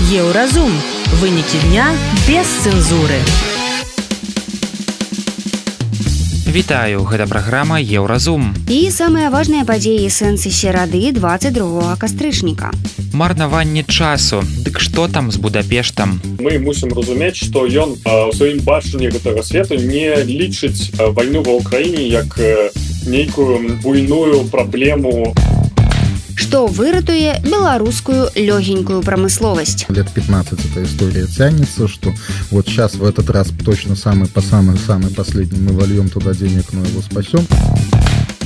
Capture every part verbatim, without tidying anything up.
Еўразум. Вынікі дня без цэнзуры. Вітаю, гэта праграма Еўразум. І самыя важныя падзеі сэнсы серады двадцать другога кастрычніка. Марнаванне часу. Дык што там з Будапештам? Мы мусім разумець, што ён у сваім бачанні гэтага свету не лічыць вайну ва ўкраіне як нейкую буйную праблему. Что выратуе белорусскую легенькую промысловость. Лет пятнадцать эта история тянется, что вот сейчас в этот раз точно самый по самый-самый последний мы вольем туда денег, но его спасем.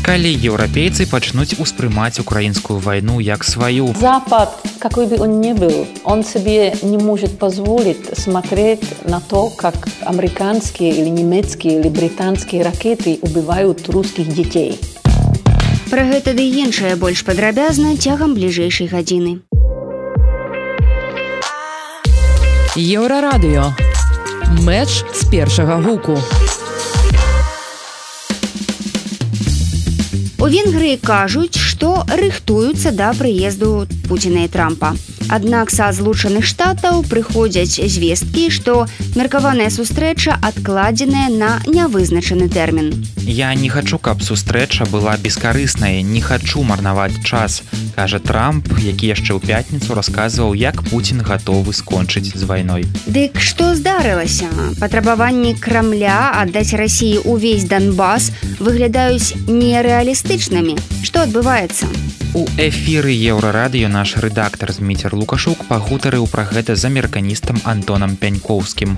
Калі еўрапейцы пачнуць успрымаць украінскую вайну як сваю. Запад, какой бы он ни был, он себе не может позволить смотреть на то, как американские или немецкие или британские ракеты убивают русских детей. Пра гэта ды іншае больш падрабязна цягам бліжэйшай гадзіны. Еўрарадыё. Мэч з першага гуку. У Венгрыі кажуць, што рыхтуюцца да прыезду Пуціна і Трампа. Аднак са Злучаных Штатаў прыходзяць звесткі, што меркаваная сустрэча адкладзеная на нявызначаны тэрмін. Я не хачу, каб сустрэча была бескарыснай, не хачу марнаваць час, кажа Трамп, які яшчэ ў пятніцу расказваў, як Пуцін гатовы скончыць з вайной. Дык што здарылася? Патрабаванні Крамля аддаць Расіі ўвесь Донбас выглядаюць нерэалістычнымі. Што адбываецца? У эфіры Еўрарадыё наш рэдактар Зміцер Лукашук пагутарыў пра гэта з амерыканістам Антонам Пянькоўскім.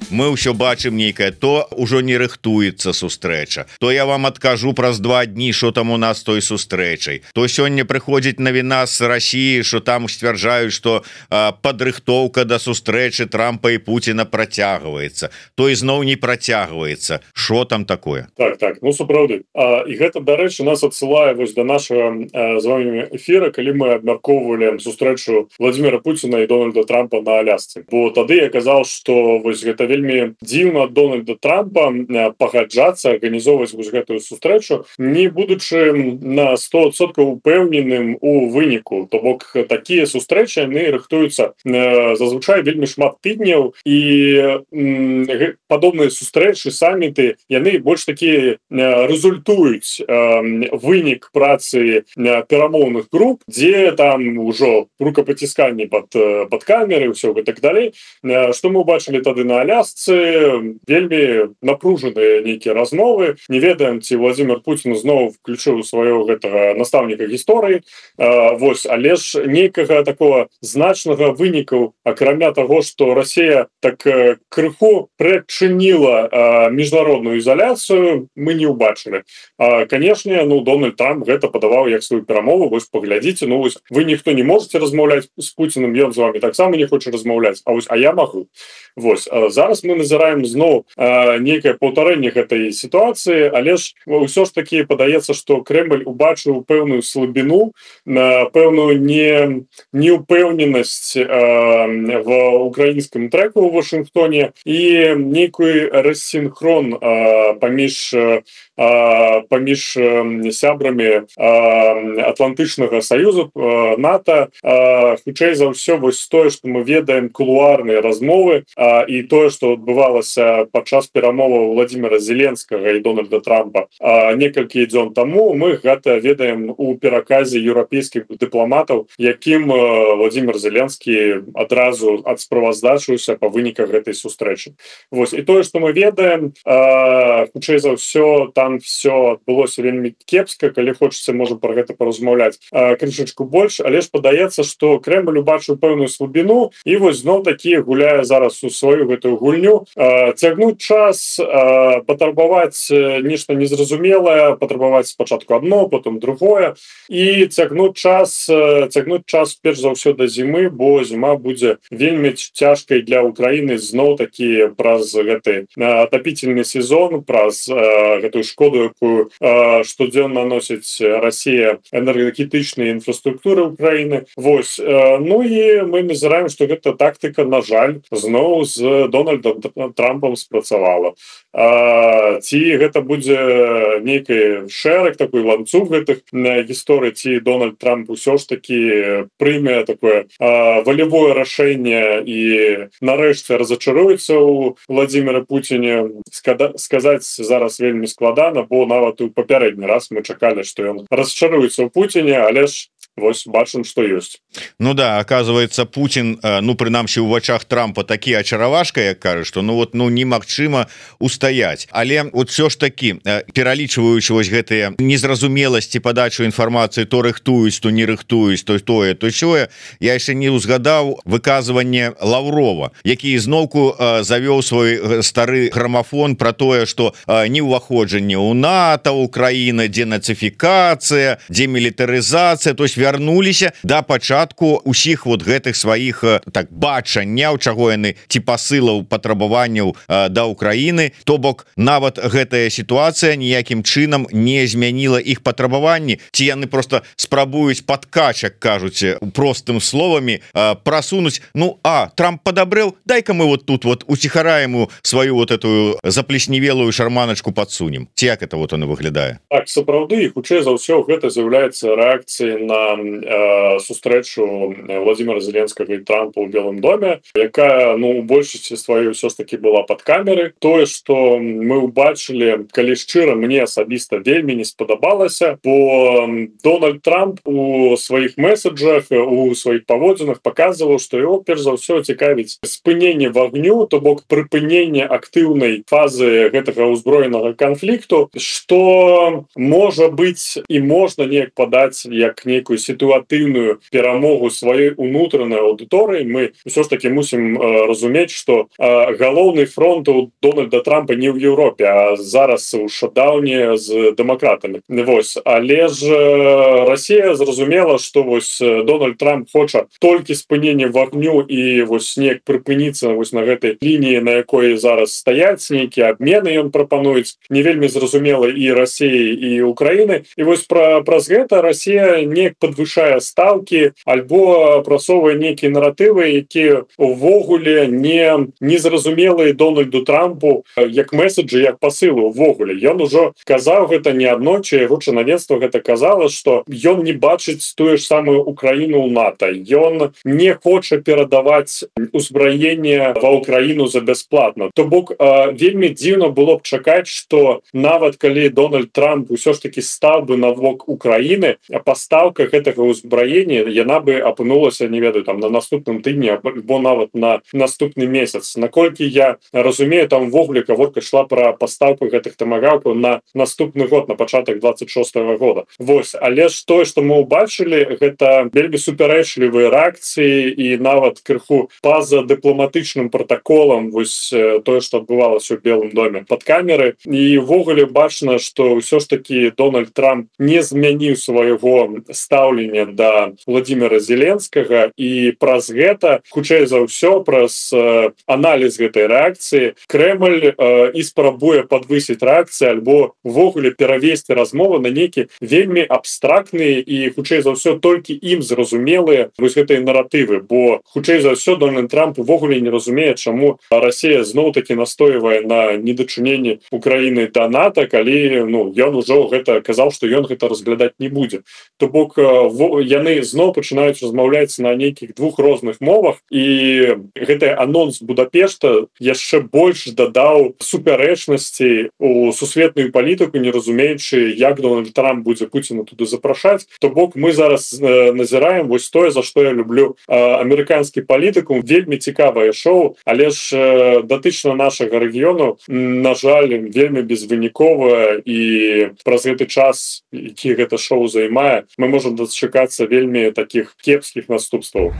Мы ўсё бачым нейкае, то ўжо не рыхтуецца сустрэча, то я вам адкажу праз два дні, що там у нас той сустрэчай, то сёння прыходзіць навіна з Расіі, що там сцвярджаюць, што а, падрыхтоўка да сустрэчы Трампа і Пуціна працягваецца, то ізноў не працягваецца. Що там такое? Так, так, ну сапраўды. А, і гэта, дарэчы, нас адсылае вось да нашага а, з вами эфіра, калі мы абмяркоўвалі сустрэчу Владимира Пуціна і Дональда Трампа на Алясцы. Бо тады я казаў, што вось гэта вельмі дзіўна ад Дональда Трампа пагаджацца арганізоўваць вось гэтую сустрэчу, не будучы на сто адсоткаў упэўненым у выніку. То бок такія сустрэчы яны рыхтуюцца зазвычай вельмі шмат тыдняў, і падобныя сустрэчы, саміты, яны больш такія рэзультуюць вынік працы перамоўных груп, дзе там ужо рукапацісканні пад, пад камеры, ўсё і так далей. Што мы убачылі тады на Алясцы? Вельмі напружаныя нейкія размовы. Не ведаем, ці Владимир Путін зноў включыў свайго гэтага настаўніка гісторыі. Вось, але ж нейкага такого значнага вынікаў, акрамя таго, што Расія так крыху прычыніла міжнародную ізаляцыю, мы не ўбачылі. Канешне, ну, Дональд Трамп гэта падаваў як сваю перамову. Вось, паглядзіце, ну, вось, вы ніхто не можете размаўляць з Пуціным, ён з вами таксама не хоча размаўляць, а вось, а я магу. Вось, зараз мы назіраем зноў нейкае паўтарэнне гэтай сітуацыі, але ж ўсё ж такі падаецца, што Крэмль убачыў пэўную слабіну, пэўную не, неупэўненасць в украінскім трэку ў Вашынгтоне і нейкую рассінхрон паміж паміж сябрамі Атлантычнага саюзу, НАТО. Хутчэй за ўсё, вось тое, што мы ведаем, кулуарныя размовы і тое, што адбывалася падчас перамоваў Владимира Зеленскага і Дональда Трампа некалькі дзён таму, мы гэта ведаем у пераказе еўрапейскіх дыпламатаў, якім Владимир Зеленскі адразу адсправаздачыўся па выніках гэтай сустрэчы. Вось, і тое, што мы ведаем, хутчэй за ўсё, там все адбылося вельмі кепска, калі хочаце, можа пра гэта паразмаўляць крышачку больш, але ж падаецца, што Крэмль убачыў пэўную слабіну і вось зноў такі гуляе зараз у сваю гэтую гульню, цягнуць час, патрабаваць нешта незразумелае, патрабаваць спачатку адно, потым другое, і цягнуць час, цягнуць час перш за ўсё да зімы, бо зіма будзе вельмі цяжкай для Украіны зноў такі праз гэты атапительны сезон, праз гэтую шкоду, якую штодзённа наносіць Расія энергетычнай інфраструктуры Украіны. Вось, ну і мы назіраем, што гэта тактыка, на жаль, зноў з Дональда Дональдом Трампом спрацавала, ці гэта будзе нейкі шэраг такой ланцуг гэтых гісторый, ці Дональд Трамп усё ж таки прыме такое волевое рашэнне і нарэшце разочаруецца у Владимира Путине. Сказаць зараз вельмі складана, бо нават у папярэдні раз мы чакалі, што ён расчаруецца ў Путине, але ж вось бачым, што ёсць. Ну да, оказывается, Путин, ну прынамсі ў вачах Трампа такі ачаравашка, як кажа, што ну вот ну немагчыма устаяць. Але вот все ж таки, пералічваючы вось гэтыя незразумеласці падачу інфармацыі, то рыхтуюць, то не рыхтуюць, то тое, то сёе, я яшчэ не ўзгадаў выказванне Лаўрова, які зноўку завёў свой стары грамафон про тое, што не ўваходжанне ў НАТО, Украіна, денацыфікацыя, демілітарызацыя, то есть вярнуліся да пачатку усіх вот гэтых сваіх так бачанняў, чаго яны ці пасылаў патрабаванняў да Украіны. То бок нават гэтая сітуацыя ніякім чынам не змяніла іх патрабаванні, ці яны просто спрабуюць падкачак, кажуць простым словамі, прасунуць. Ну а Трамп падабрэў, дай-ка мы вот тут вот уціхараем сваю вот эту заплесневелую шарманачку падсунем. Ці як это вот она выглядае? Так, сапраўды, і хутчэй за ўсё гэта з'яўляецца рэакцыяй на э, сустрэчу Владимира Зеленскага і Трампа ў Белым доме, якая ну у большасці сваёй ўсё ж таки была пад камеры. Тое, што мы ўбачылі, калі шчыра, мне асабіста вельмі не спадабалася, бо Дональд Трамп у сваіх месседжах, у сваіх паводзінах паказваў, што яго перш за ўсё цікавіць спыненне вагню, то бок прыпыненне актыўнай фазы гэтага ўзброенага канфлікту, што можа быць і можна неяк падаць як нейкую сітуатыўную перамогу сваёй унутранай аўдыторыі. Мы ўсё ж таки мусім э, разумець, што э, галоўны фронт у Дональда Трампа не ў Еўропе, а зараз у шатдауне з дэмакратамі. Вось, але ж э, Расія зразумела, што вось Дональд Трамп хоча толькі спынення вагню і вось неяк прыпыніцца вось на гэтай лініі, на якой зараз стаяць, нейкія абмены ён прапануюць, не вельмі зразумела і Расіі, і Украіны. І вось пра, праз гэта Расія неяк падвышае стаўкі альбо прасоўвае нейкія наратывы, якія увогуле не незразумелыя Дональду Трампу як месседжы, як пасылы увогуле. Ён ужо казаў гэта неаднойчы, яго чынавенства гэта казала, што ён не бачыць тую ж самую Украіну ў НАТО. Ён не хоча перадаваць узбраенне ва Украіну за бясплатна. То бок вельмі дзіўна было б чакаць, што нават калі Дональд Трамп усё ж таки стаў бы навок Украіны, а пастаўка гэтага ўзбраення яна бы апынулася, не ведаю, там на наступным тыдні або нават на наступны месяц. Наколькі я разумею, там ввогуле гаворка шла пра пастаўку гэтых тамагаўкаў на наступны год, на пачатак двадцать шостого года. Вось, але ж тое, што мы ўбачылі, гэта вельмі супярэчлівыя рэакцыі і нават крыху па-за дыпламатычным пратаколам, вось тое, што адбывалася ў Белым доме пад камеры. І ввогуле бачна, што ўсё ж таки Дональд Трамп не змяніў свайго стаўлення да Владимира Зеленскага, і праз гэта, хутчэй за ўсё, праз э, аналіз гэтай рэакцыі Крэмль э, і спрабуе падвысіць рэакцыю альбо ввогуле перавесці размову на нейкі вельмі абстрактныя і хутчэй за ўсё толькі ім зразумелыя вось гэтыя наратывы, бо хутчэй за ўсё Дональд Трамп увогуле не разумее, чаму Расія зноў-таки настойвае на недачыненні Украіны да НАТО, калі ну ён ужо гэта казаў, што ён гэта разглядаць не будзе. То бок яны зноў пачынаюць размаўляць на нейкіх двух розных мовах, і гэты анонс Будапешта яшчэ больш дадаў супярэчнасці у сусветную палітыку, не разумеючы, як Дональд Трамп будзе Пуціна туды запрашаць. То бок мы зараз э, назіраем вось тое, за што я люблю э, амерыканскі палітыкум. Вельмі цікавае шоу, але ж э, датычна нашага рэгіёну, на жаль, вельмі безвыніковае, і праз гэты час, які гэта шоу займае, мы можам дачакацца вельмі такіх кепскіх наступстваў.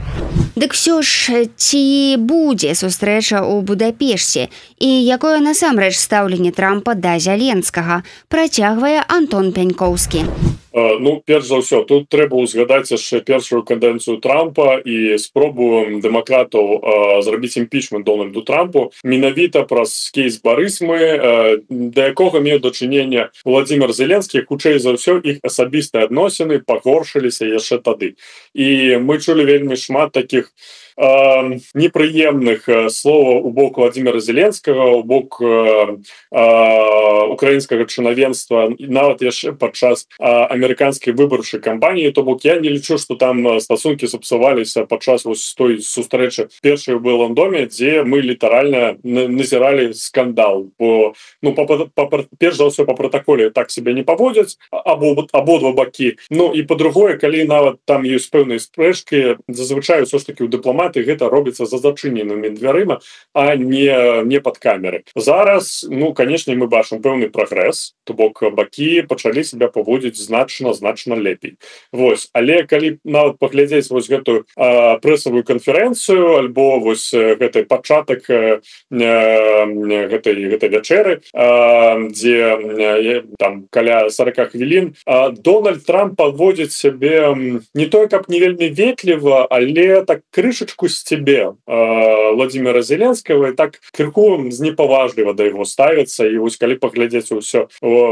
Дык всё ж, ці будзе сустрэча ў Будапешце і якое насамрэч стаўленне Трампа да Зеленскага, працягвае Антон Пянькоўскі. Ну, перш за ўсё, тут трэба ўзгадаць яшчэ першую кадэнцыю Трампа і спробу дэмакратаў э, зрабіць імпічмент Дональду Трампу менавіта праз кейс Барысмы, э, да якога меў дачынення Владимир Зеленскі. Хутчэй за ўсё іх асабістыя адносіны пагоршыліся яшчэ тады. І мы чулі вельмі шмат такіх э, непрыемных словаў у бок Владимира Зеленскага, у бок э, э, украінскага чынавенства, нават яшчэ падчас э, амерыканскай выбарчай кампаніі. То бок я не лічу, што там стасункі сапсаваліся падчас вось той сустрэчы першай у Белым доме, дзе мы літаральна назіралі скандал. Бо ну па, па, па, перш за ўсё па пратаколе так себе не паводзяць або абодва бакі. Ну і па-другое, калі нават там ёсць пэўныя спрэчкі, зазвычай ўсё ж таки ў дыпламаты гэта робіцца за зачыненымі дзвярыма, а не не пад камеры. Зараз ну канешне мы бачым пэўны прагрэс, то бок бакі пачалі себя паводзіць значна значна лепей. Вось, але калі нават паглядзець вось гэтую а, прэсавую канферэнцыю альбо вось гэты пачатак а, гэтай гэтай вячэры, а, дзе там каля сорока хвілін, а Дональд Трамп паводзіць сябе не той каб не вельмі ветліва, але так крышачку з цябе а, Владимира Зеленского, і так крыху знепаважліва да яго ставіцца. І вось калі паглядзець усё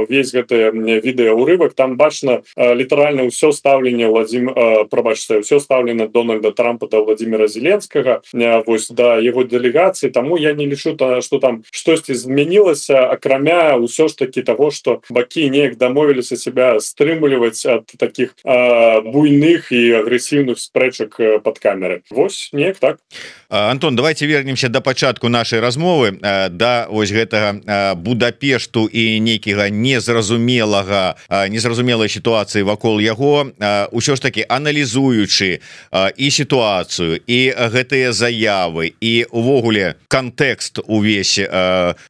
весь гэты відэаурывак, там бачна а, літаральна ўсё стаўленне Владим а, прабачце ўсё стаўлена Дональда Трампа да Владимира Зеленскага, а, вось да яго дэлегацыі. Таму я не лічу, што там штосьці змянілася, акрамя ўсё ж таки того, што бакі неяк дамовіліся себя стрымліваць ад таких а, буйных і агрэсіўных спрэчак пад камеры. Вось неяк так. Антон, давайте вернемся до пачатку нашай размовы, да вось гэтага Будапешту і нейкага незразумелага незразумелай сітуацыі вакол яго. Усё ж таки аналізуючы і сітуацыю, і гэтыя заявы, і увогуле кантэкст увесь,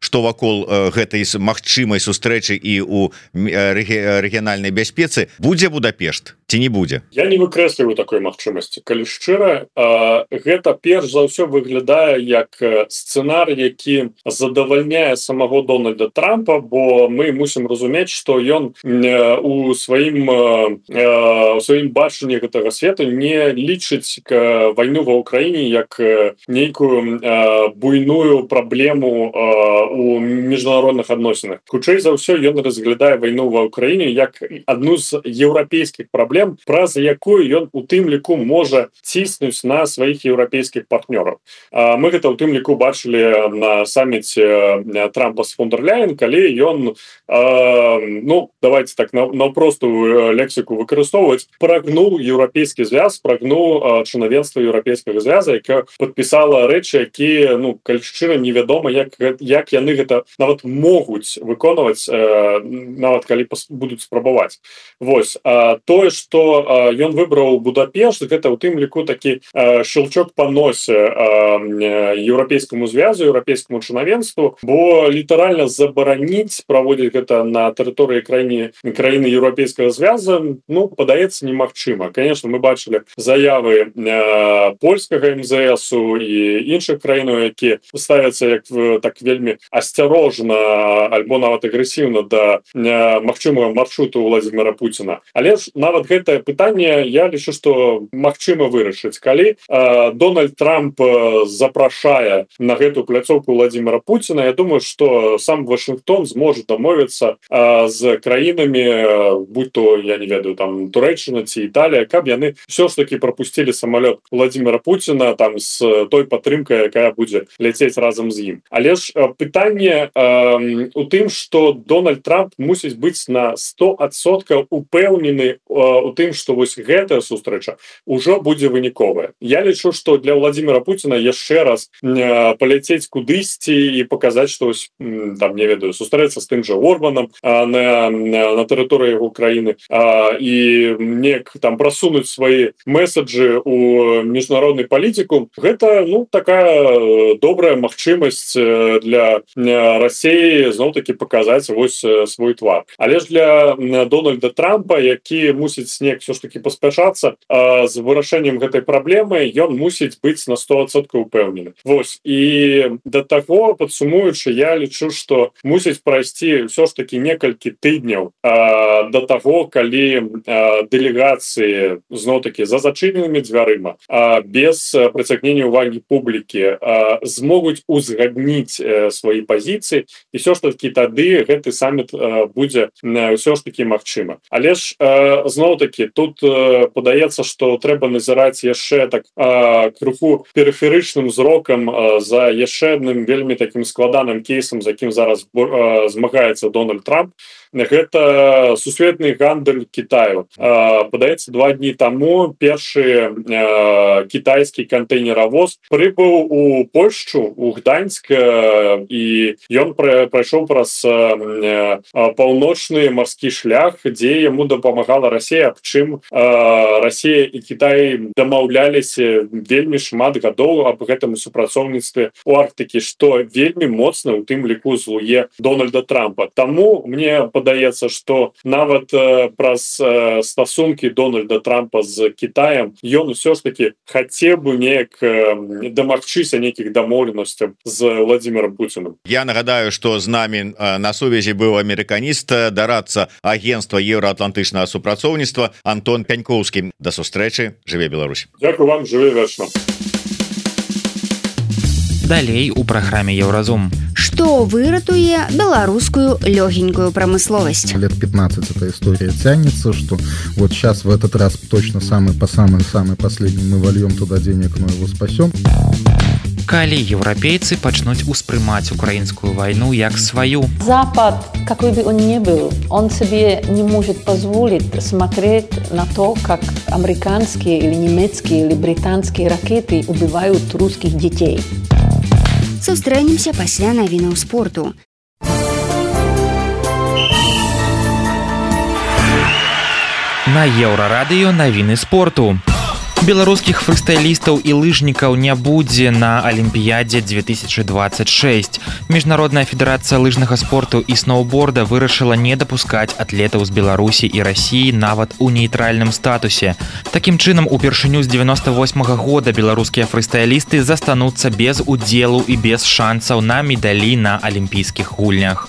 што вакол гэтай магчымай сустрэчы і у рэгіянальнай бяспецы, будзе Будапешт ці не будзе? Я не выкрэсліваю такой магчымасці. Калі шчыра, гэта перш за ўсё выглядае як сцэнар, які задавальняе самого Дональда Трампа, бо мы мусім разумець, што ён у сваім у сваім бачанні гэтага свету не лічыць вайну ва ўкраіне як нейкую буйную праблему у міжнародных адносінах. Хутчэй за ўсё ён разглядае вайну ва ўкраіне як адну з еўрапейскіх праблем, праз якую ён у тым ліку можа ціснуць на сваіх еўрапейскіх партнёраў. Мы гэта ў тым ліку бачылі на саміце Трампа з фон дер Ляйен, калі ён ну давайте так наўпростую лексіку выкарыстоўваць, прагнуў еўрапейскі звяз, прагнуў чынавенства еўрапейскага звяза, яка падпісала рэчы, якія ну калі шчыра невядома як як яны гэта нават могуць выконваць, нават калі будуць спрабаваць. Вось, тое, што ён выбраў Будапешт, гэта ў тым ліку такі щелчок па носе еўрапейскаму звязу, еўрапейскаму чынавенству, бо літаральна забараніць праводзіць гэта на тэрыторыі краіны краіны еўрапейскага звяза, ну падаецца немагчыма. Конечно, мы бачылі заявы польскага эм зэ эсу і іншых краінаў, якія ставяцца як так вельмі асцярожна альбо нават агрэсіўна да магчымага маршруту Владимира Путина. Але ж нават гэтае пытанне я лічу, што магчыма вырашыць, калі э, Дональд Трамп запрашае на гэту пляцоўку Владимира Путина. Я думаю, што сам Вашингтон зможа дамовіцца э, з краінамі, э, будь то я не ведаю там Турэччына ці Італія, каб яны ўсё ж таки пропусцілі самалёт Владимира Путина там з той падтрымкай, якая будзе ляцець разам з ім. Але ж э, пытанне э, у тым, што Дональд Трамп мусіць быць на сто адсоткаў упэўнены у тым, што вось гэтая сустрэча ўжо будзе выніковая. Я лічу, што для Владимира Путина яшчэ раз э, паляцець кудысьці і паказаць, што ось, там не ведаю, сустрэцца з тым жа Орбанам э, на, на тэрыторыі яго краіны э, і неяк там прасунуць свае месаджы у міжнародную палітыку. Гэта ну такая добрая магчымасць для Расіі зноў-такі паказаць вось свой твар. Але ж для Дональда Трампа, які мусіць неяк все ж таки паспяшацца з вырашэннем гэтай праблемы, ён мусіць быць на сто адсоткаў упэўнены. Вось, і да таго, падсумуючы, я лічу, што мусіць прайсці ўсё ж таки некалькі тыдняў а, да таго, калі а, дэлегацыі зноў-такі за зачыненымі дзвярыма, а, без прыцягнення ўвагі публікі а, змогуць узгадніць а, свае пазіцыі, і ўсё ж таки тады гэты саміт а, будзе ўсё ж таки магчыма. Але ж зноў все-таки тут э, падаецца, что трэба назіраць яшчэ так э, крыху перыферычным зрокам э, за яшчэ адным вельмі таким складаным кейсам, за якім зараз э, змагаецца Дональд Трамп. Гэта сусветны гандаль Китаю. Э, падаецца, два дні таму першы э, китайскі кантэйнеравоз прыбыў у Польшчу, у Гданьск, э, і ён прайшоў праз э, паўночны марскі шлях, дзе яму дапамагала Расія, аб чым э, Расія і Кітай дамаўляліся вельмі шмат гадоў аб гэтым супрацоўніцтве у Арктыкі, што вельмі моцна, у тым ліку злуе Дональда Трампа. Таму мне падаецца, што нават э, праз э, стасункі Дональда Трампа з Кітаем ён усё ж таки хацеў бы неяк э, дамагчыся нейкіх дамоўленасцяў з Владимиром Путиным. Я нагадаю, што з намі э, на сувязі быў амерыканіст, дарадца агентства еўраатлантычнага супрацоўніцтва Антон Пянькоўскі. Да сустрэчы, жыве Беларусь. Дзякую вам, жыве вечна. Далей у праграме Еўразум. Что выратуе белорусскую легенькую промысловость? Лет пятнадцать эта история тянется, что вот сейчас в этот раз точно самый по самый-самый последний мы вольем туда денег, но его спасем. Калі еўрапейцы пачнуць успрымаць украінскую вайну як сваю. Запад, какой бы он ни был, он себе не может позволить смотреть на то, как американские или немецкие или британские ракеты убивают русских детей. Сустрэнемся пасля навінаў спорту. На Еўрарадыё навіны спорту. Беларускіх фрыстайлістаў і лыжнікаў не будзе на Алімпіядзе две тысячи двадцать шесть. Міжнародная федэрацыя лыжнага спорту і сноўборда вырашыла не дапускаць атлетаў з Беларусі і Расіі нават у нейтральным статусе. Такім чынам, упершыню з девяносто восьмага года беларускія фрыстайлісты застануцца без удзелу і без шансаў на медалі на алімпійскіх гульнях.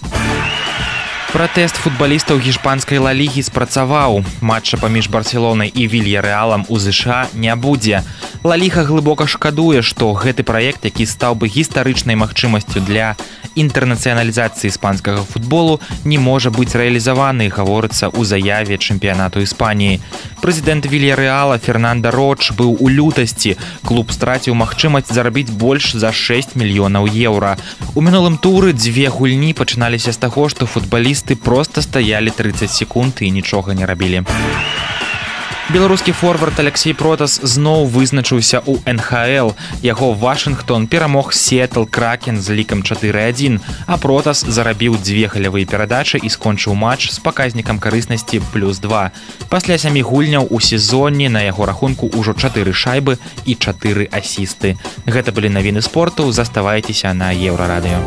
Пратэст футбалістаў гішпанскай ла-лігі спрацаваў. Матча паміж Барселонай і Вільярэалам у ЗША не будзе. Ла-ліга глыбока шкадуе, што гэты праект, які стаў бы гістарычнай магчымасцю для інтэрнацыяналізацыі іспанскага футболу, не можа быць рэалізаваны, гаворыцца ў заяве чэмпіянату Іспаніі. Прэзідэнт Вільярэала Фернанда Роч быў у лютасці. Клуб страціў магчымасць зарабіць больш за шэсць мільёнаў еўра. У мінулым туры дзве гульні пачыналіся з таго, што футбалісты просто стаялі тридцать секунд і нічога не рабілі. Беларускі форвард Алексей Протас зноў вызначыўся ў эн ха эл. Яго Вашынгтон перамог Сіэтл Кракен з лікам чатыры адзін, а Протас зарабіў дзве галявыя перадачы і скончыў матч з паказнікам карыснасці плюс два. Пасля сямі гульняў у сезоне на яго рахунку ўжо чатыры шайбы і чатыры асісты. Гэта былі навіны спорту, заставайцеся на Еўрарадыё.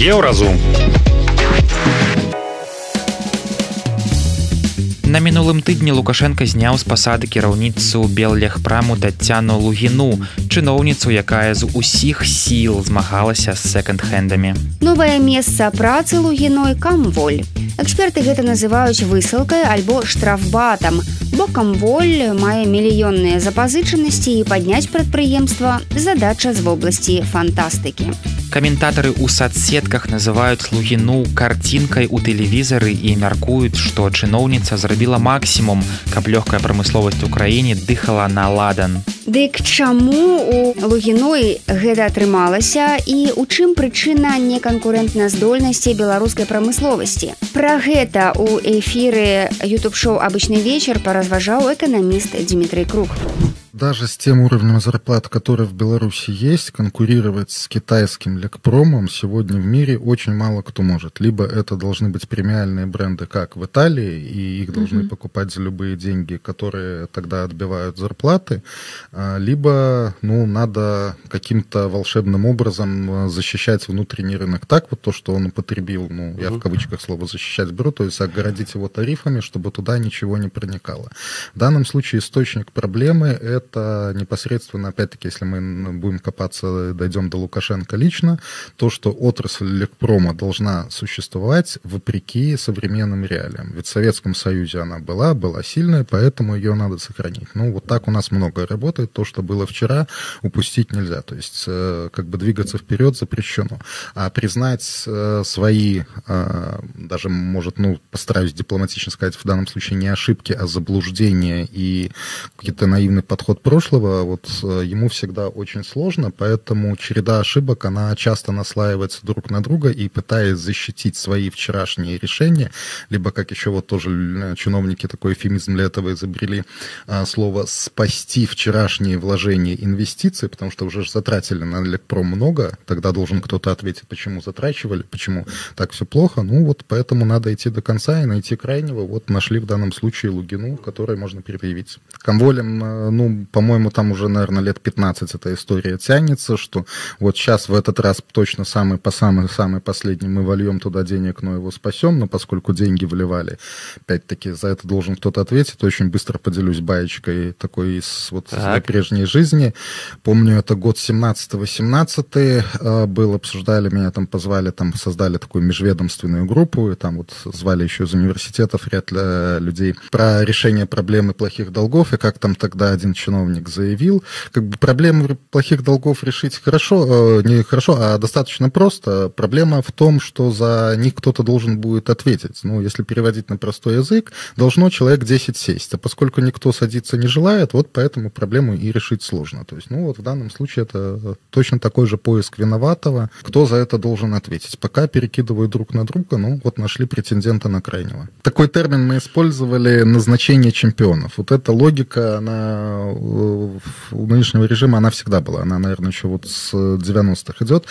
Еўразум. На мінулым тыдні Лукашенко зняў з пасады кіраўніцу Беллегпраму Таццяну Лугіну, чыноўніцу, якая з усіх сіл змагалася з секонд-хендамі. Новае месца працы Лугіной камволь. Эксперты гэта называюць высылкай альбо штрафбатам, бо камволь мае мільённыя запазычанасці і падняць прадпрыемства задача з вобласці фантастыкі. Каментатары ў сацсетках называюць Лугіну карцінкай у тэлевізары і мяркуюць, што чыноўніца зрабіла максімум, каб лёгкая прамысловасць у краіне дыхала на ладан. Дык чаму у Лугіной гэта атрымалася і ў чым прычына неканкурэнтназдольнасці беларускай прамысловасці? Пра гэта ў эфіры ютуб-шоу «Обычный вечер» поразважаў эканаміст Дмитрий Круг. Даже с тем уровнем зарплат, который в Беларуси есть, конкурировать с китайским лекпромом сегодня в мире очень мало кто может. Либо это должны быть премиальные бренды, как в Италии, и их должны mm-hmm. покупать за любые деньги, которые тогда отбивают зарплаты, либо ну, надо каким-то волшебным образом защищать внутренний рынок. Так вот то, что он употребил, ну, я mm-hmm. в кавычках слово «защищать» беру, то есть огородить его тарифами, чтобы туда ничего не проникало. В данном случае источник проблемы – это это непосредственно, опять-таки, если мы будем копаться, дойдем до Лукашенко лично, то, что отрасль лекпрома должна существовать вопреки современным реалиям. Ведь в Советском Союзе она была, была сильная, поэтому ее надо сохранить. Ну, вот так у нас многое работает. То, что было вчера, упустить нельзя. То есть, как бы двигаться вперед запрещено. А признать свои, даже, может, ну, постараюсь дипломатично сказать, в данном случае не ошибки, а заблуждения и какой-то наивный подход прошлого, вот ему всегда очень сложно, поэтому череда ошибок, она часто наслаивается друг на друга, и пытаясь защитить свои вчерашние решения, либо, как еще вот тоже чиновники такой эвфемизм для этого изобрели, слово «спасти вчерашние вложения инвестиций», потому что уже затратили на Лекпром много, тогда должен кто-то ответить, почему затрачивали, почему так все плохо, ну вот поэтому надо идти до конца и найти крайнего, вот нашли в данном случае Лугину, которой можно предъявить. Комволем, ну, по-моему, там уже, наверное, лет пятнадцать эта история тянется, что вот сейчас в этот раз точно самый по самый-самый последний мы вольем туда денег, но его спасем, но поскольку деньги вливали, опять-таки, за это должен кто-то ответить, очень быстро поделюсь баечкой такой из вот своей прежней жизни. Помню, это год семнадцатый-восемнадцатый был, обсуждали, меня там позвали, там создали такую межведомственную группу, и там вот звали еще из университетов ряд людей про решение проблемы плохих долгов, и как там тогда один чиновник заявил, как бы проблему плохих долгов решить хорошо, не хорошо, а достаточно просто. Проблема в том, что за них кто-то должен будет ответить. Ну, если переводить на простой язык, должно человек десять сесть, а поскольку никто садиться не желает, вот поэтому проблему и решить сложно. То есть, ну, вот в данном случае это точно такой же поиск виноватого, кто за это должен ответить. Пока перекидывают друг на друга, ну, вот нашли претендента на крайнего. Такой термин мы использовали — назначение чемпионов. Вот эта логика, она у нынешнего режима, она всегда была. Она, наверное, еще вот с девяностых идет.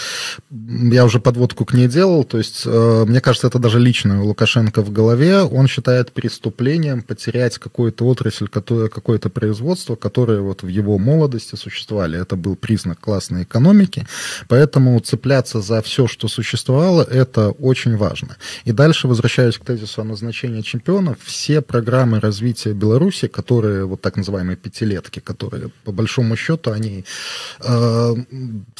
Я уже подводку к ней делал, то есть, мне кажется, это даже лично у Лукашенко в голове. Он считает преступлением потерять какую-то отрасль, какое-то производство, которое вот в его молодости существовали. Это был признак классной экономики, поэтому цепляться за все, что существовало, это очень важно. И дальше, возвращаясь к тезису о назначении чемпионов, все программы развития Беларуси, которые, вот так называемые пятилетки, которые, по большому счету, они э,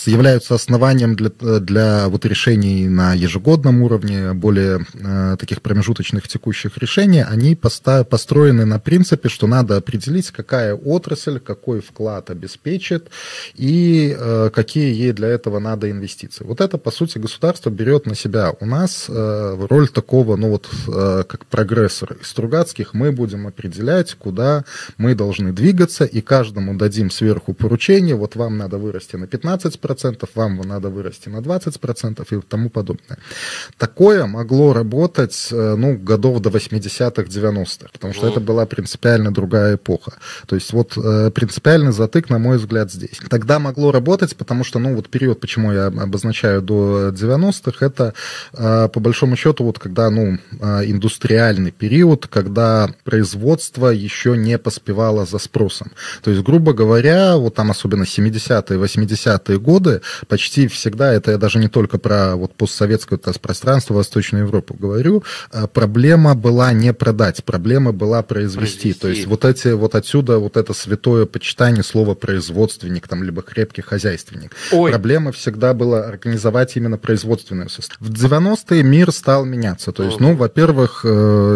являются основанием для, для вот решений на ежегодном уровне, более э, таких промежуточных текущих решений, они поста- построены на принципе, что надо определить, какая отрасль, какой вклад обеспечит и э, какие ей для этого надо инвестиции. Вот это, по сути, государство берет на себя. У нас э, роль такого, ну вот, э, как прогрессора из Стругацких, мы будем определять, куда мы должны двигаться, и каждому дадим сверху поручение, вот вам надо вырасти на пятнадцать процентов, вам надо вырасти на двадцать процентов и тому подобное. Такое могло работать, ну, годов до восьмидесятых, девяностых, потому что это была принципиально другая эпоха. То есть вот принципиальный затык, на мой взгляд, здесь. Тогда могло работать, потому что, ну, вот период, почему я обозначаю до девяностых, это, по большому счету, вот когда, ну, индустриальный период, когда производство еще не поспевало за спросом. То есть, грубо говоря, вот там особенно семидесятые, восьмидесятые годы, почти всегда, это я даже не только про вот постсоветское пространство, Восточную Европу говорю, проблема была не продать, проблема была произвести. произвести. То есть вот эти, вот отсюда вот это святое почитание слова производственник, там, либо крепкий хозяйственник. Ой. Проблема всегда была организовать именно производственную составу. В девяностые мир стал меняться. То есть, ну, во-первых,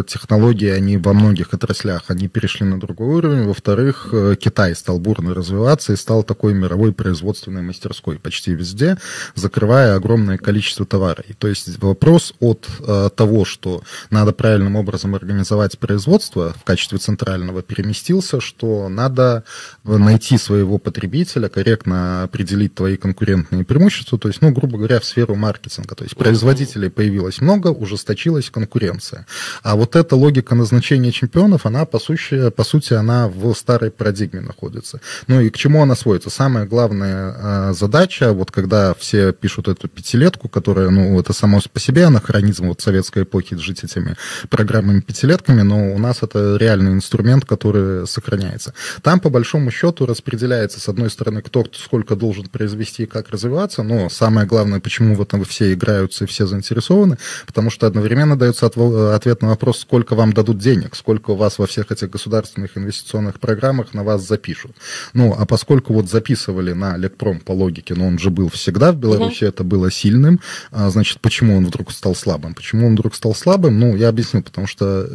технологии, они во многих отраслях, они перешли на другой уровень. Во-вторых, Китай стал бурно развиваться и стал такой мировой производственной мастерской почти везде, закрывая огромное количество товара. И то есть вопрос от э, того, что надо правильным образом организовать производство в качестве центрального, переместился, что надо найти своего потребителя, корректно определить твои конкурентные преимущества, то есть, ну, грубо говоря, в сферу маркетинга. То есть производителей появилось много, ужесточилась конкуренция. А вот эта логика назначения чемпионов, она, по сути, по сути, она в старой парадигме находится. Ну и к чему она сводится? Самая главная э, задача, вот когда все пишут эту пятилетку, которая, ну, это само по себе анахронизм вот советской эпохи жить этими программами-пятилетками, но у нас это реальный инструмент, который сохраняется. Там, по большому счету, распределяется, с одной стороны, кто сколько должен произвести и как развиваться, но самое главное, почему в этом все играются и все заинтересованы, потому что одновременно дается ответ на вопрос, сколько вам дадут денег, сколько у вас во всех этих государственных инвестиционных программах на вас запишут. Ну, а поскольку вот записывали на Лекпром по логике, но он же был всегда в Беларуси, угу. это было сильным, а, значит, почему он вдруг стал слабым? Почему он вдруг стал слабым? Ну, я объясню, потому что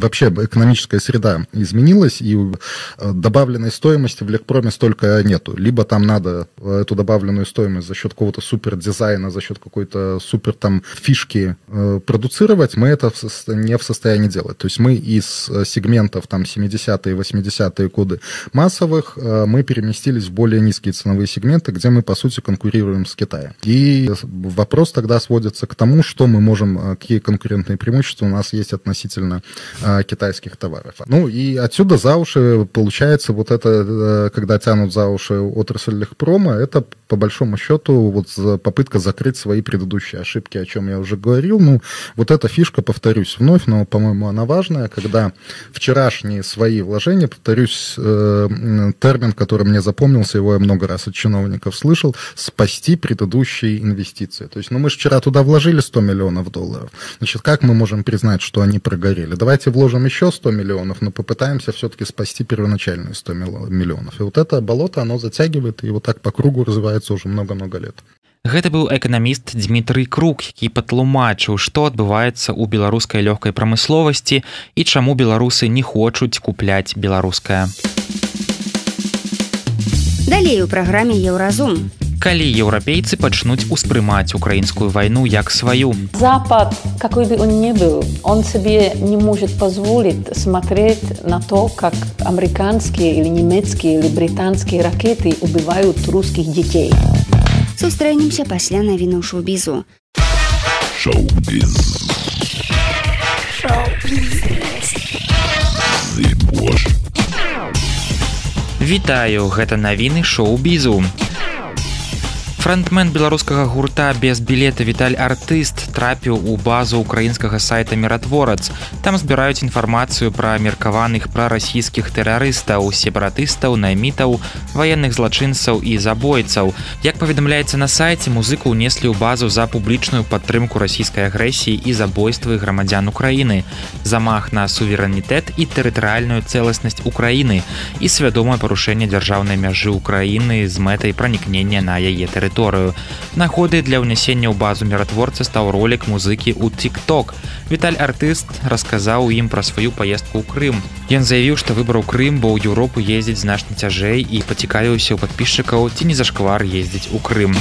вообще экономическая среда изменилась, и добавленной стоимости в Лекпроме столько нету. Либо там надо эту добавленную стоимость за счет какого-то супердизайна, за счет какой-то супер там фишки э, продуцировать, мы это в, не в состоянии делать. То есть мы из сегментов там семидесятые, восьмидесятые годы массовых э, мы переместились в более низкие ценовые сегменты, где мы, по сути, конкурируем с Китаем. И вопрос тогда сводится к тому, что мы можем, какие конкурентные преимущества у нас есть относительно э, китайских товаров. Ну и отсюда за уши получается вот это, э, когда тянут за уши отрасль Лекпрома, это по большому счету вот попытка закрыть свои предыдущие ошибки, о чем я уже говорил. Ну, вот эта фишка, повторюсь вновь, но, по-моему, она важная, когда вчерашние свои вложения, повторюсь, э, термин, который мне запомнился, его я много раз от чиновников слышал, спасти предыдущие инвестиции. То есть, ну, мы же вчера туда вложили сто миллионов долларов. Значит, как мы можем признать, что они прогорели? Давайте вложим еще сто миллионов, но попытаемся все-таки спасти первоначальные сто миллионов. И вот это болото, оно затягивает, и вот так по кругу развивается уже много-много лет. Гэта быў эканаміст Дмітрый Крук, які патлумачыў, што адбываецца ў беларускай лёгкай прамысловасці і чаму беларусы не хочуць купляць беларускае. Далей у праграме Еўразум. Калі еўрапейцы пачнуць успрымаць украінскую вайну як сваю. Запад, какой бы он ни был, он себе не может позволить смотреть на то, как американские или немецкие или британские ракеты убивают русских детей. Сустрэнемся пасля навіну шоу-бізу. Шоу-біз. Шоу-біз. Зыбош. Вітаю, гэта навіны шоу-бізу. Франтмен беларускага гурта без білета Віталь Артыст трапіў у базу украінскага сайта «Міратворац». Там збіраюць інфармацыю пра меркаваных прарасійскіх тэрарыстаў, сепаратыстаў, наймітаў, ваенных злачынцаў і забойцаў. Як паведамляецца на сайце, музыку ўнеслі ў базу за публічную падтрымку расійскай агрэсіі і забойствы грамадзян Украіны, замах на суверэнітэт і тэрытарыяльную цэласнасць Украіны і свядомае парушэнне дзяржаўнай мяжы Украіны з мэтай пранікнення на яе тэрыторыю. Нагодай для ўнясення ў базу міратворца стаў ролік музыкі ў TikTok. Віталь Артыст расказаў ім пра сваю паездку ў Крым. Ён заявіў, што выбраў Крым, бо ў Еўропу ездзіць значна цяжэй і пацікавіўся ў падпісчыкаў, ці не зашквар ездзіць у Крым.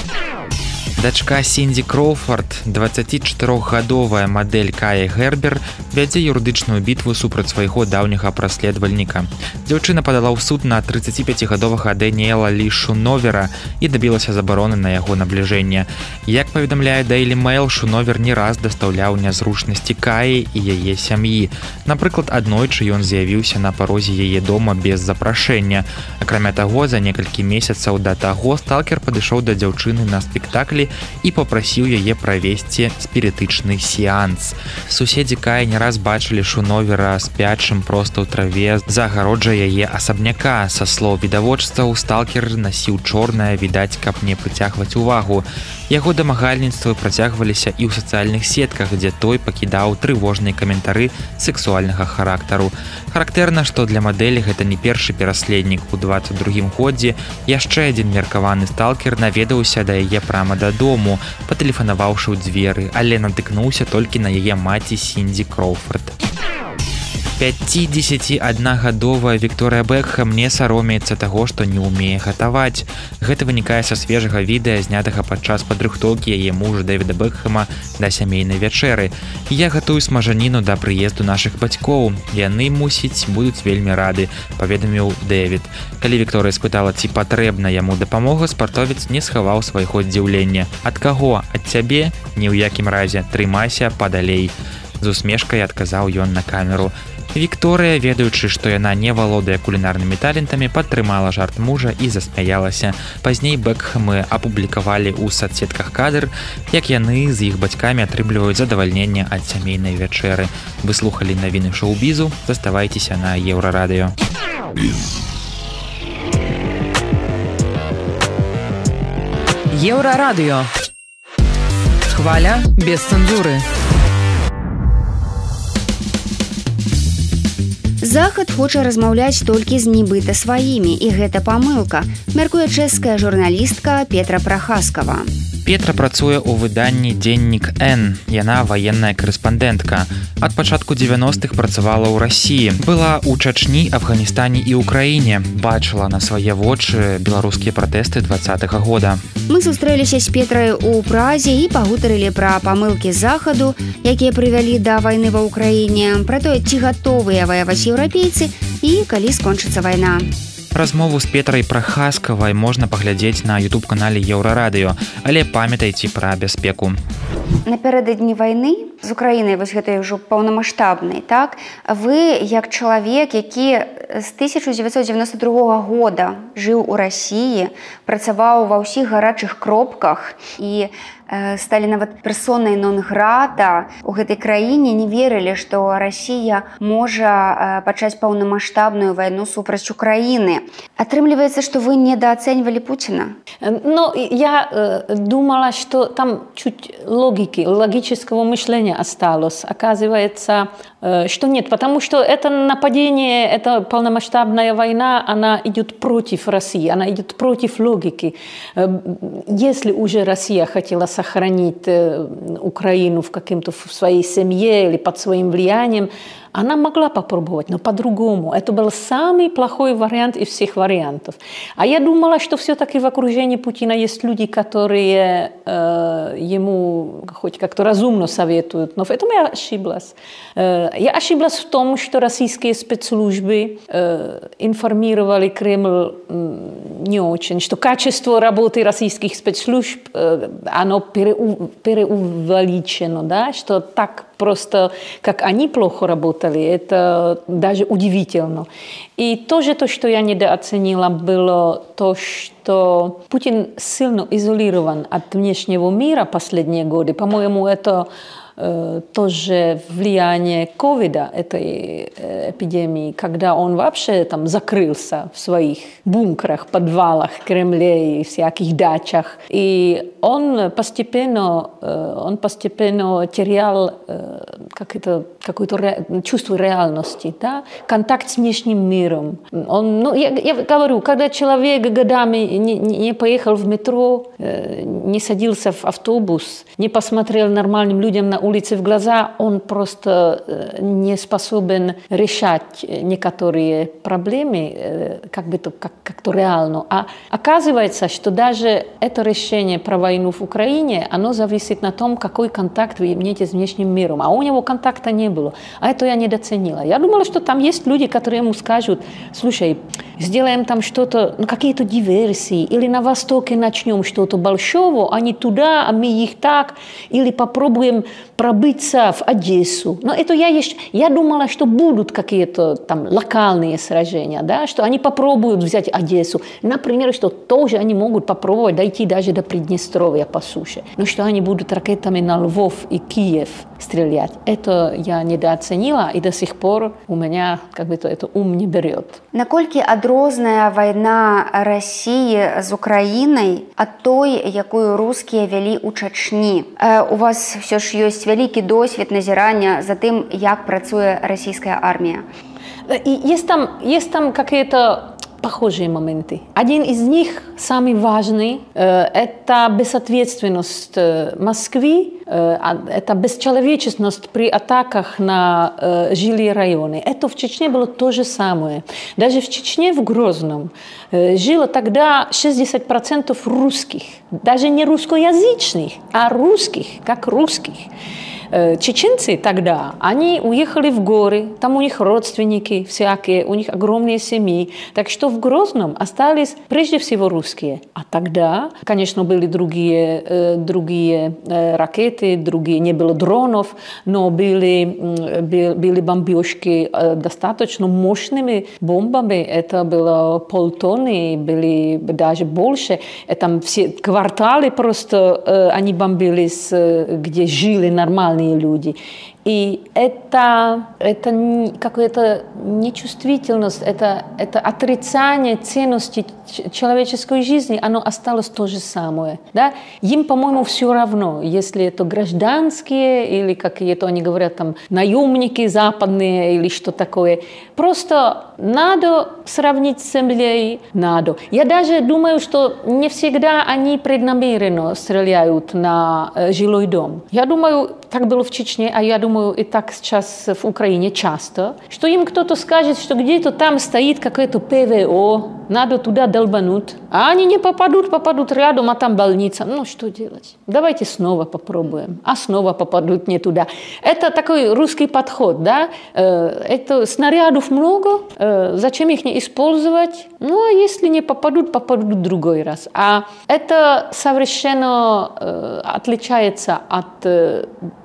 Дачка Сіндзі Кроуфорд, дваццацічатырохгадовая мадэль Кая Гербер, вядзе юрыдычную бітву супраць свайго даўняга праследавальніка. Дзяўчына падала ў суд на трыццаціпяцігадовага Дэніэла Лі Шуновера і дабілася забароны на яго набліжэнне. Як паведамляе Daily Mail, Шуновер не раз дастаўляў нязручнасці Каі і яе сям'і. Напрыклад, аднойчы ён з'явіўся на парозе яе дома без запрашэння. Акрамя таго, за некалькі месяцаў да таго сталкер падышоў да дзяўчыны на спектаклі і попрасіў яе правесці спірытычны сеанс. Суседзі Каі не раз бачылі Шуновера спячым проста ў траве за агароджай яе асабняка. Са слоў відавочцаў, сталкер насіў чорнае, відаць, каб не прыцягваць увагу. Яго дамагальніцтвы працягваліся і ў сацыяльных сетках, дзе той пакідаў трывожныя каментары сексуальнага характару. Характэрна, што для мадэлі гэта не першы пераследнік. У дваццаць другім годзе яшчэ адзін меркаваны сталкер наведаўся да яе прама дадому, патэлефанаваўшы ў дзверы, але натыкнуўся толькі на яе маці Сіндзі Кроуфорд. пяцідзесяціаднагадовая Вікторыя Бекхэм не саромеецца таго, што не ўмее гатаваць. Гэта вынікае са свежага відэа, знятага падчас падрыхтоўкі яе мужа Дэвіда Бекхэма да сямейнай вячэры. Я гатую смажаніну да прыезду нашых бацькоў. Яны, мусіць, будуць вельмі рады, паведаміў Дэвід. Калі Вікторыя спытала, ці патрэбна яму дапамога, спартовец не схаваў свайго здзіўлення. Ад каго? Ад цябе? Ні ў якім разе. Трымайся падалей. З усмешкай адказаў ён на камеру. Вікторыя, ведаючы, што яна не валодае кулінарнымі талентамі, падтрымала жарт мужа і засмяялася. Пазней Бекхэмы апублікавалі ў сацсетках кадр, як яны з іх бацькамі атрымліваюць задавальненне ад сямейнай вячэры. Вы слухалі навіны шоу-бізу, заставайцеся на Еўрарадыё. Еўрарадыё. Хваля без цэнзуры. Захад хоча размаўляць толькі з нібыта сваімі, і гэта памылка, мяркуе чэшская журналістка Петра Прахаскава. Петра працуе ў выданні «Дзеннік Н». Яна ваенная корэспандэнтка. Ад пачатку дзевяностых працавала ў Расіі. Была ў Чачні, Афганістане і ўкраіне. Бачыла на свае вочы беларускія пратэсты двадцатага года. Мы сустрэліся з Петрай у Празе і пагутарылі пра памылкі Захаду, якія прывялі да вайны ва ўкраіне, пра тое, ці гатовыя ваяваць еўрапейцы і калі скончыцца вайна. Размову з Петрай Прахаскавай можна паглядзець на ютуб-канале Еўрарадыё, але памятайце пра бяспеку. Напярэдадні вайны з Украінай, вось гэтай ўжо паўнамаштабнай, так, вы, як чалавек, які з тысяча дзевяцьсот дзевяноста другога года жыў у Расіі, працаваў ва ўсіх гарачых кропках і сталі нават персонай нон-грата у гэтай краіне, не верылі, што Расія можа пачаць паўнамаштабную вайну супраць Украіны. Атрымліваецца, што вы недоацэньвалі Путина? Ну, я э, думала, что там чуть логики, логического мышления осталось. Оказывается, э, что нет, потому что это нападение, это полномасштабная война, она идет против России, она идет против логики. Э, если уже Россия хотела сохранить э, Украину в каком-то в своей семье или под своим влиянием, она могла попробовать, но по-другому. Это был самый плохой вариант из всех вариантов. А я думала, что все-таки в окружении Путина есть люди, которые э, ему хоть как-то разумно советуют. Но в этом я ошиблась. Э, я ошиблась в том, что российские спецслужбы э, информировали Кремль э, не очень, что качество работы российских спецслужб, э, оно переу, переувеличено, да? Что так просто, как они плохо работали, это даже удивительно. И тоже то, что я недооценила, было то, что Путин сильно изолирован от внешнего мира последние годы. По-моему, это э, тоже влияние ковида, этой э, эпидемии, когда он вообще там закрылся в своих бункерах, подвалах, Кремле и всяких дачах. И он постепенно, э, он постепенно терял э, как это, какое-то ре, чувство реальности, да? Контакт с внешним миром. Он, ну, я, я говорю, когда человек годами не, не поехал в метро, э, не садился в автобус, не посмотрел нормальным людям на улице в глаза, он просто э, не способен решать некоторые проблемы э, как бы то, как, как-то реально. А оказывается, что даже это решение про войну в Украине, оно зависит на том, какой контакт вы имеете с внешним миром. А у него контакта не было. А это я недооценила. Я думала, что там есть люди, которые ему скажут: слушай, сделаем там что-то, ну, какие-то диверсии, или на Востоке начнем что-то большого, а не туда, а мы их так, или попробуем пробиться в Одессу. Но это я еще... Я думала, что будут какие-то там локальные сражения, да, что они попробуют взять Одессу. Например, что тоже они могут попробовать дойти даже до Приднестровья по суше. Но что они будут ракетами на Львов и Киев стрелять. Это я недооценила, и до сих пор у меня как бы это ум не берет. Наколькі адрозная вайна Расіі з Украінай ад той, якую рускія вялі ў Чачні? У вас все ж ёсць вялікі досвед назірання за тым, як працуе расійская армія. И есть там, есть там какие-то похожие моменты. Один из них, самый важный, это безответственность Москвы, это бесчеловечность при атаках на жилые районы. Это в Чечне было то же самое. Даже в Чечне, в Грозном, жило тогда шестьдесят процентов русских. Даже не русскоязычных, а русских, как русских. Чеченцы тогда, они уехали в горы, там у них родственники всякие, у них огромные семьи. Так что в Грозном остались прежде всего русские. А тогда, конечно, были другие, э, другие э, ракеты, другие, не было дронов, но были, э, были бомбежки э, достаточно мощными бомбами. Это было полтонны, были даже больше. Там все кварталы просто, э, они бомбились, э, где жили нормально нормальные люди. И это, это какая-то нечувствительность, это, это отрицание ценности человеческой жизни, оно осталось то же самое. Да? Им, по-моему, все равно, если это гражданские или какие-то, они говорят, там, наемники западные или что такое. Просто надо сравнить с землей, надо. Я даже думаю, что не всегда они преднамеренно стреляют на э, жилой дом. Я думаю, так было в Чечне, а я думаю, и так сейчас в Украине часто, что им кто-то скажет, что где-то там стоит какое-то ПВО, надо туда долбануть, а они не попадут, попадут рядом, а там больница. Ну, что делать? Давайте снова попробуем, а снова попадут не туда. Это такой русский подход, да? Это снарядов много, зачем их не использовать? Ну, а если не попадут, попадут в другой раз. А это совершенно отличается от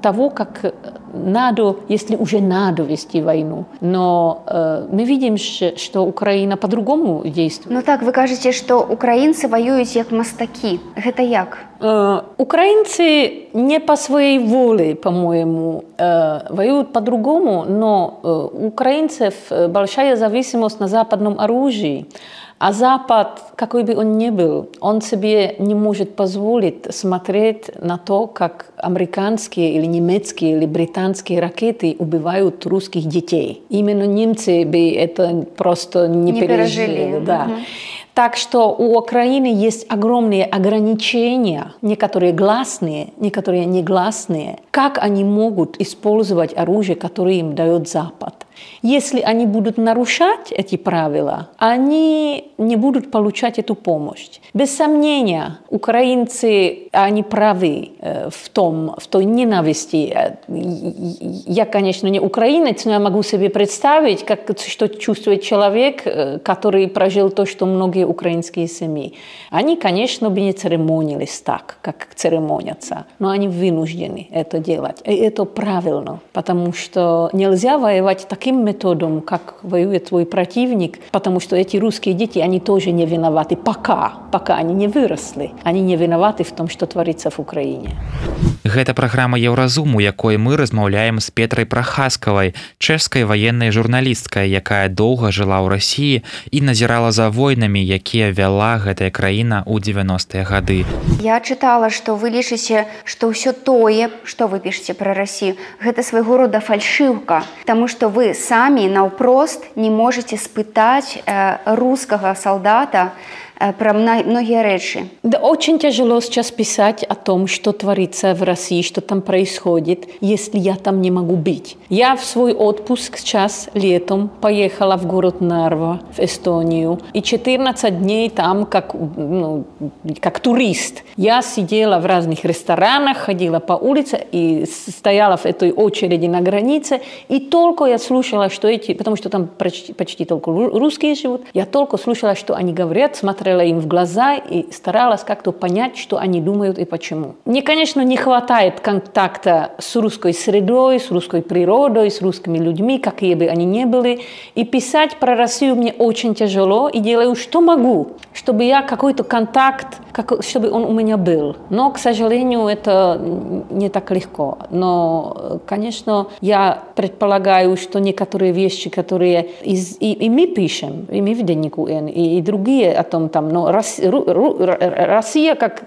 того, как надо, если уже надо вести войну. Но э, мы видим, что Украина по-другому действует. Ну так, вы кажете, что украинцы воюют как мастаки. Это як? Э, украинцы не по своей воле, по-моему, э, воюют по-другому, но э, у украинцев большая зависимость на западном оружии. А Запад, какой бы он ни был, он себе не может позволить смотреть на то, как американские или немецкие или британские ракеты убивают русских детей. Именно немцы бы это просто не, не пережили. пережили. Да. Угу. Так что у Украины есть огромные ограничения, некоторые гласные, некоторые негласные, как они могут использовать оружие, которое им дает Запад. Если они будут нарушать эти правила, они не будут получать эту помощь. Без сомнения, украинцы, они правы в том, в той ненависти. Я, конечно, не украинец, но я могу себе представить, как, что чувствует человек, который прожил то, что многие украинские семьи. Они, конечно, бы не церемонились так, как церемонятся, но они вынуждены это делать. И это правильно, потому что нельзя воевать таким методом, как воюет твой противник, потому что эти русские дети, они тоже не виноваты, пока, пока они не выросли. Они не виноваты в том, что творится в Украине. Гэта праграма Еўразум, у якой мы размаўляем з Петрай Прахаскавай, чэшскай ваеннай журналісткай, якая доўга жыла ў Расіі і назірала за войнамі, якія вяла гэтая краіна ў дзевяностыя гады. Я чытала, што вы лічыце, што ўсё тое, што вы пішаце пра Расію, гэта свайго рода фальшыўка, таму што вы самі наўпрост не можете спытаць э, рускага солдата про многие речи. Да, очень тяжело сейчас писать о том, что творится в России, что там происходит, если я там не могу быть. Я в свой отпуск сейчас летом поехала в город Нарва, в Эстонию, и четырнадцать дней там как, ну, как турист. Я сидела в разных ресторанах, ходила по улице и стояла в этой очереди на границе, и только я слушала, что эти, потому что там почти, почти только русские живут, я только слушала, что они говорят, смотрела им в глаза и старалась как-то понять, что они думают и почему. Мне, конечно, не хватает контакта с русской средой, с русской природой, с русскими людьми, какие бы они ни были. И писать про Россию мне очень тяжело, и делаю, что могу, чтобы я какой-то контакт, как, чтобы он у меня был. Но, к сожалению, это не так легко. Но, конечно, я предполагаю, что некоторые вещи, которые из, и, и мы пишем, и мы в Деннику Н, и, и другие о том, там, но Россия как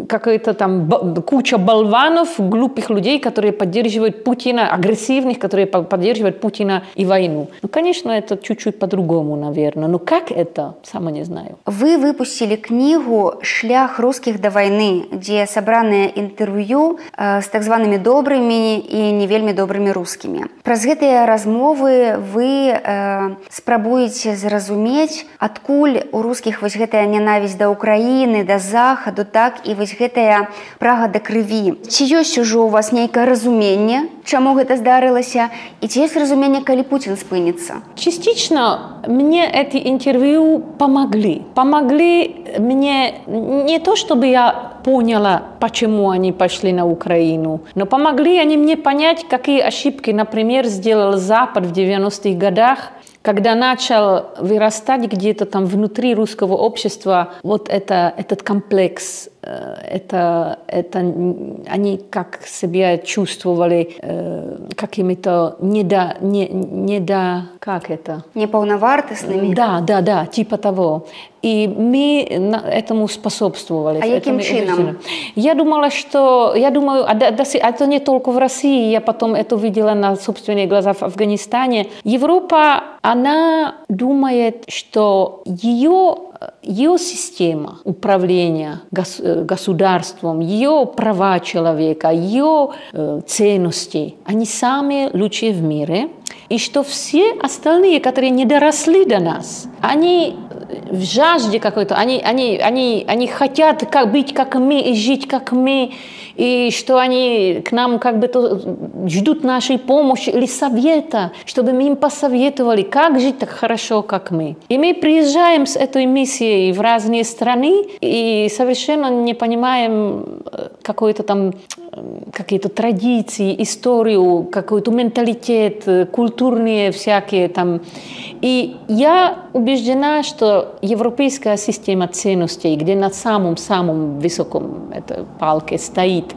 какая-то там куча болванов, глупых людей, которые поддерживают Путина, агрессивных, которые поддерживают Путина и войну. Ну, конечно, это чуть-чуть по-другому, наверное. Но как это, сама не знаю. Вы выпустили книгу «Шлях русских до войны», где собраны интервью э, с так зваными добрыми и не вельми добрыми русскими. Праз гэтыя размовы вы э, спрабуеце зразумець, адкуль у русских вось гэтая нянавісць да Украіны, да Захаду, так і вось гэтая прага да крыві. Ці ёсць ужо у вас нейкае разуменне, чаму гэта здарылася, і ці ёсць разуменне, калі Путин спыніцца? Частично мне эти интервью помогли. Помогли мне не то, чтобы я поняла, почему они пошли на Украину, но помогли они мне понять, какие ошибки, например, сделал Запад в девяностых годах, когда начал вырастать где-то там внутри русского общества вот это, этот комплекс это, это они как себя чувствовали э, какими-то недо, не, недо, как это? Неполновартостными? Да, да, да, типа того. И мы этому способствовали. А каким чином? Я думала, что... Я думаю, это не только в России, я потом это видела на собственные глаза в Афганистане. Европа, она думает, что ее, ее система управления государством, ее права человека, ее ценности, они самые лучшие в мире. И что все остальные, которые не доросли до нас, они в жажде какой-то, они, они, они, они хотят как, быть как мы и жить как мы, и что они к нам как бы то ждут нашей помощи или совета, чтобы мы им посоветовали, как жить так хорошо, как мы. И мы приезжаем с этой миссией в разные страны и совершенно не понимаем какой-то там какие-то традиции, историю, какой-то менталитет, культурные всякие там. И я убеждена, что европейская система ценностей, где на самом-самом высоком этой палке стоит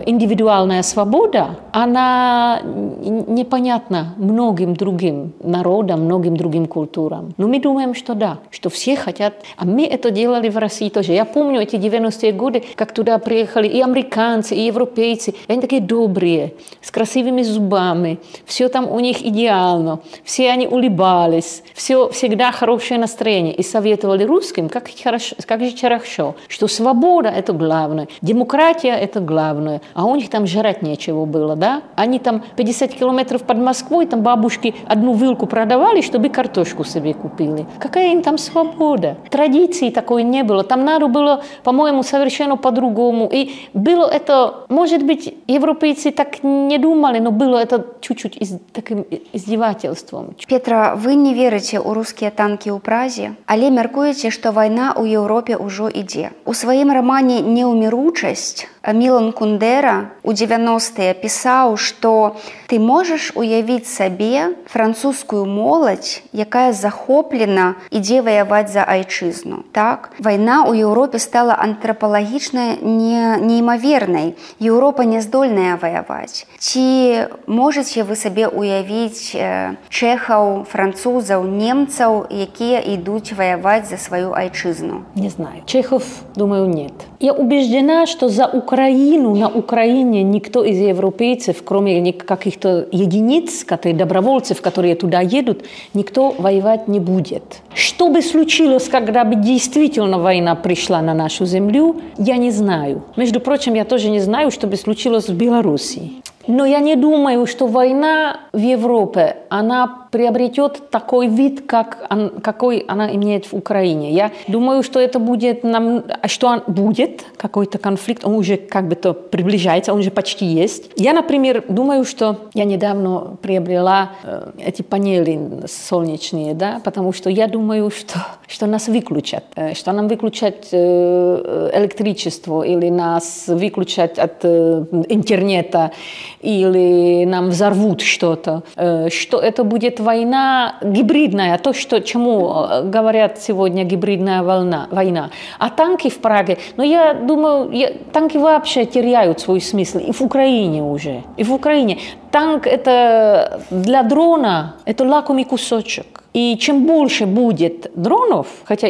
индивидуальная свобода, она непонятна многим другим народам, многим другим культурам. Но мы думаем, что да, что все хотят. А мы это делали в России тоже. Я помню эти девяностые годы, как туда приехали и американцы, и европейцы. Они такие добрые, с красивыми зубами. Все там у них идеально. Все они улыбались. Все всегда хорошее настроение. И советовали русским, как, хорошо, как же хорошо, что свобода – это главное, демократия – это главное. А у них там жрать нечего было, да? Они там пятьдесят километров под Москвой, там бабушки одну вилку продавали, чтобы картошку себе купили. Какая им там свобода? Традиции такой не было. Там надо было, по-моему, совершенно по-другому. И было это, может быть, европейцы так не думали, но было это чуть-чуть из, таким издевательством. Петра, вы не верите у русские танки у Празе, але мяркуеце, што вайна ў Еўропе ўжо ідзе. У сваім рамане «Неўміручасць» Мілан Кундера у девяностые пісаў, што ты можаш уявіць сабе французскую моладзь, якая захоплена ідзе ваяваць за айчызну. Так? Вайна ў Еўропе стала антрапалагічна не, неймавернай. Еўропа не здольная ваяваць. Ці можаце вы сабе уявіць э, чэхаў, французаў, немцаў, якія ідуць ваяваць за сваю айчызну? Не знаю. Чехов, думаю, нет. Я убеждена, что за Украину, на Украине никто из европейцев, кроме каких-то единиц, которые, добровольцев, которые туда едут, никто воевать не будет. Что бы случилось, когда бы действительно война пришла на нашу землю, я не знаю. Между прочим, я тоже не знаю, что бы случилось в Беларуси. Но я не думаю, что война в Европе, она приобретет такой вид, как он, какой она имеет в Украине. Я думаю, что это будет, нам, что он будет, какой-то конфликт, он уже как бы то приближается, он уже почти есть. Я, например, думаю, что я недавно приобрела э, эти панели солнечные, да, потому что я думаю, что, что нас выключат, э, что нам выключат э, электричество или нас выключат от э, интернета, или нам взорвут что-то, что это будет война гибридная, то, что, чему говорят сегодня гибридная волна, война. А танки в Праге, ну я думаю, я, танки вообще теряют свой смысл, и в Украине уже, и в Украине. Танк это для дрона, это лакомый кусочек. И чем больше будет дронов, хотя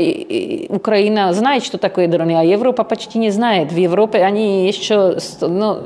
Украина знает, что такое дроны, а Европа почти не знает. В Европе они еще ну,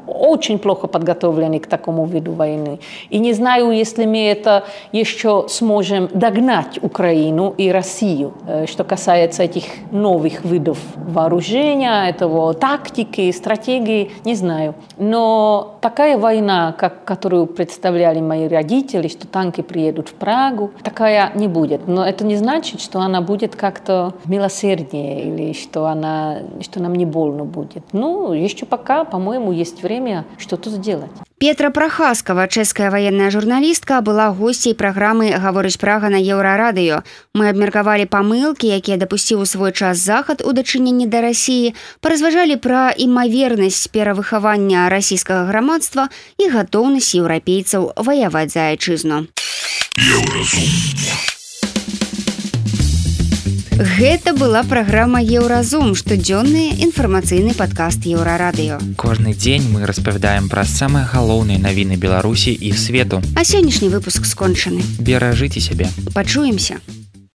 очень плохо подготовлены к такому виду войны. И не знаю, если мы это еще сможем догнать Украину и Россию, что касается этих новых видов вооружения, этого тактики, стратегии, не знаю. Но такая война, как, которую представляли мои родители, что танки приедут в Прагу, такая не будет. Но это не значит, что она будет как-то милосерднее или что, она, что нам не больно будет. Ну, еще пока, по-моему, есть время что-то сделать. Петра Прахаскова, чэшская военная журналістка, была госцей праграмы «Гаворыць Прага» на Еўрарадыё. Мы абмеркавалі памылкі, якія дапусціў у свой час захад у дачыненні да Расіі, паразважалі пра імавернасць перавыхавання расійскага грамадства і гатоўнасць еўрапейцаў ваяваць за айчызну. Еўразум. Гэта была праграма Еўразум, штодзённы інфармацыйны падкаст Еўрарадыё. Кожны дзень мы распавядаем пра самыя галоўныя навіны Беларусі і свету. А сённяшні выпуск скончаны. Беражыце сябе. Пачуемся.